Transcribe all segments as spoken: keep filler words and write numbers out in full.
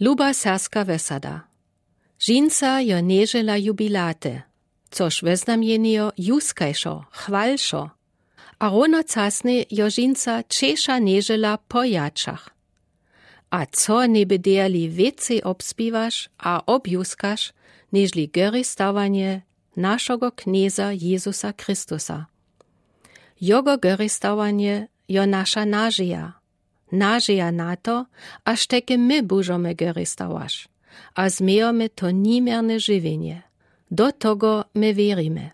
Luba serska wesada. Žinca jo nježela jubilaty, což weznamjenjo juskajšo, chwalšo, a równocasnje jo žinca češa nježela po jačach. A co njeby dejali wěcej obspěwaš a objuskaš, něžli goristawanje našogo Knjeza Jezusa Christusa? Jogo goristawanje jo naša nažija, nažija na to, aż teky my bóžomy goristawaš a změjomy to nijmjerne žiwjenje. Do togo my wěrimy.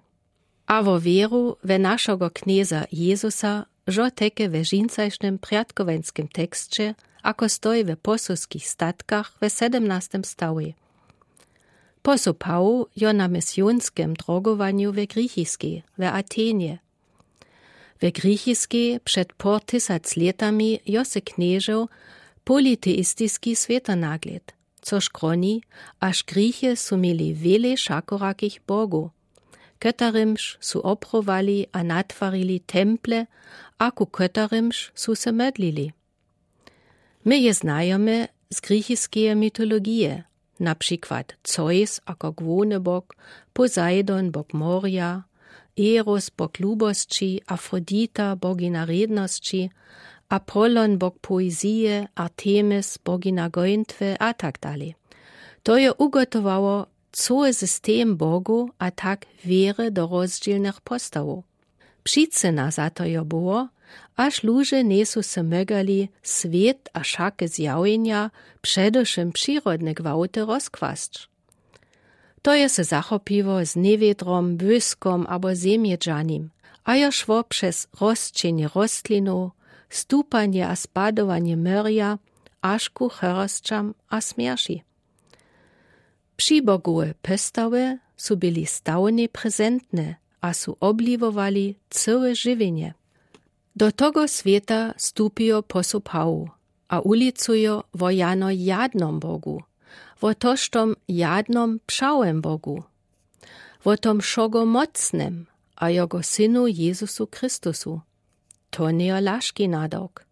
A wo wěru we našogo Knjeza Jezusa žo teky we žincajšnym prjatkowańskim teksće, ako stoji we Posowskich statkach we sedemnastim stałi. Posoł Pawoł jo na misjonskim drogowanju we Grichiskej, we Atenje. We Grichiskej před pór tysac lětami jo se knježow politeistiski swětonaglěd, což kroni, aż Grichy su měli wjele wšakorakich bogow, kóterymž su oprowali a natwarili temple a ku kóterymž su se modlili. My je znajomy z grichiskeje mitologije, na přikład Zeus ako głowny bóg, Poseidon bóg morja, Eros bóg lubosći, Afrodita bogina rědnosći, Apollon bóg poezije, Artemis bogina gońtwy a tak dalej. To jo ugotowało coły system bogow a tak wěry do rozdźělnych postawow. Přicyna za to jo było, aż luže njejsu se mogali swět a wšake zjawjenja, předewšym přirodne gwałty, rozkłasć. To je se zachopiło z njewědrom, błyskom abo zemjedźanim, a jo szło přez rosćenje rostlinow, stupanje a spadowanje morja, až ku chorosćam a smjerći. Přibogowe postawy su byli stałnje prezentne a su obliwowali cołe žiwjenje. Do togo swěta stupijo posoł Pawoł a wulicujo wo jano jadnom Bogu, wo tožtom jadnom pšałym Bogu, wo tom wšogomocnym a jogo Synu Jezusu Christusu. To njejo lažki nadawk.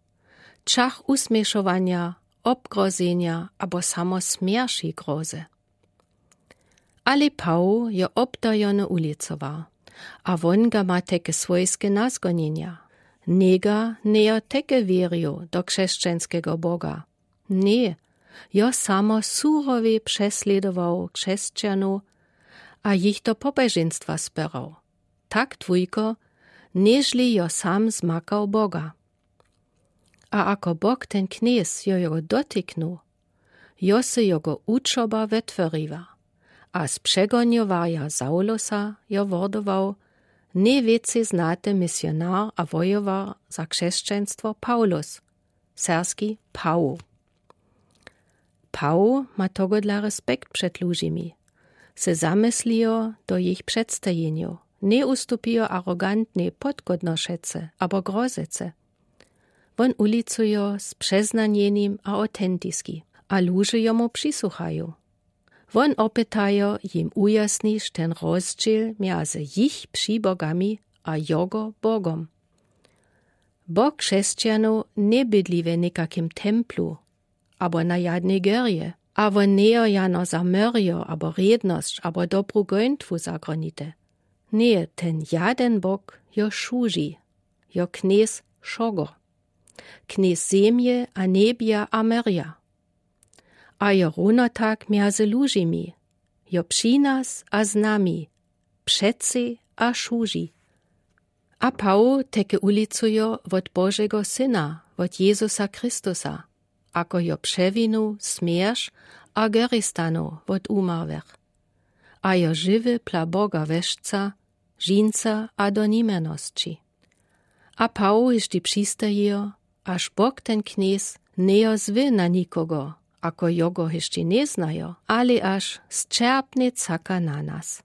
Čach wusměšowanja, wobgrozenja abo samo smjerći grozy. Ale Pawoł jo wobtajony wulicował, a won ga ma teky swójske nazgonjenja. Njega njejo teky wěrił do křesćanskego Boga. Ně, jo samo surowi přeslědował křesćanow a jich do pobežeństwa spěrał. Tak dwójko, něžli jo sam zmakał Boga. A ako Bóg ten Knjez jo, jo dotyknył, jo se jogo wučoba wetworiła, a z přegonjowarja Saulosa jo wordował nje wěcej znaty misjonar a wojowar za křesćanstwo Pawlus, serski Pawoł. Pawoł ma togodla respekt před lužimi. Se zamyslijo do jich předstajenjow, nje wustupijo arogantnej podgodnošece abo grozece. Won wulicujo z přeznanjenim a awtentiski, a luže jomu přisłuchajo. Won wopytajo, jim wujasnić ten rozdźěl mjezy jich přibogami a jogo Bogom. Bóg křesćanow nje bydli we někakim templu abo na jadnej górje, a won njejo jano za morjo abo rědnosć abo dobru gońtwu zagronity. Ně, ten jaden Bóg jo wšuži, jo Knjez wšogo, Knjez zemje a njebja a morja. A jo równo tak mjezy lužimi, jo při nas a z nami, přeci a wšuži. A Pawoł teky wulicujo wot Božego Syna, wot Jezusa Christusa, ako jo přewinył smjerć a goristanow wot wumarłych, a jo žiwy pla Boga wešca, žinca a do nijmjernosći. A Pawoł hišći přistajijo, až Bóg ten Knjez njejo zły na nikogo, ako jogo hišći njeznajo, ale až sćerpnje caka na nas.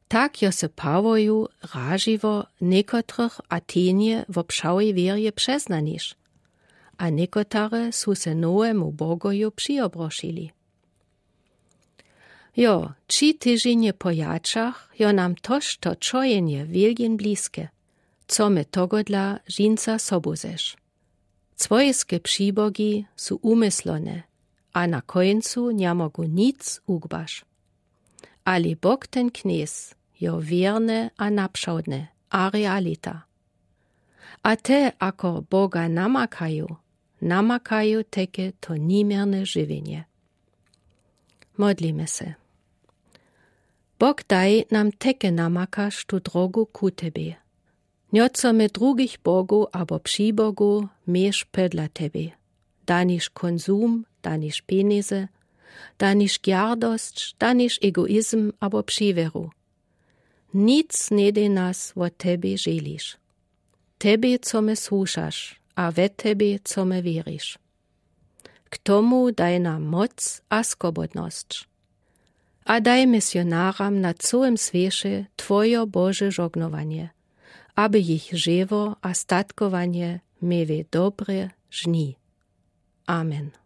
Tak jo se Pawołju ražiło někotrych w Atenje wo pšałej wěrje přeznanić, a někotary su se nowemu Bogoju přiobrašili. Jo, tři tyźenje po jačach jo nam tož to čojenje wielkin bliske. Co my togodla žinca sobu zeš? Swójske přibogi su wumyslone, a na kóńcu nié mógł nic ugbasz. Ale bóg ten knéz jo wiérny a naprzódny a realita. A te akor bóga namakaju, namakaju teke to nimierne żywieńie. Modlimy se. Bóg daj nam teke namakasz tu drogu ku tebie. Nié co my drugich bógów abo przibógów miesz pòdla tebie, danisz kónzum, danisz pienize, danisz gardosc, danisz egoizm abo przewieru. Nic nie dej nas wò tebie żelisz. Tebie co më słuszasz a we tebie co më wierisz. K tomu daj nam moc a skobodnosc. A daj misjonaram na cołym swiece twojo bóże żognowanié, aby jich żewo a statkowanie miałë dobre żni. Amen.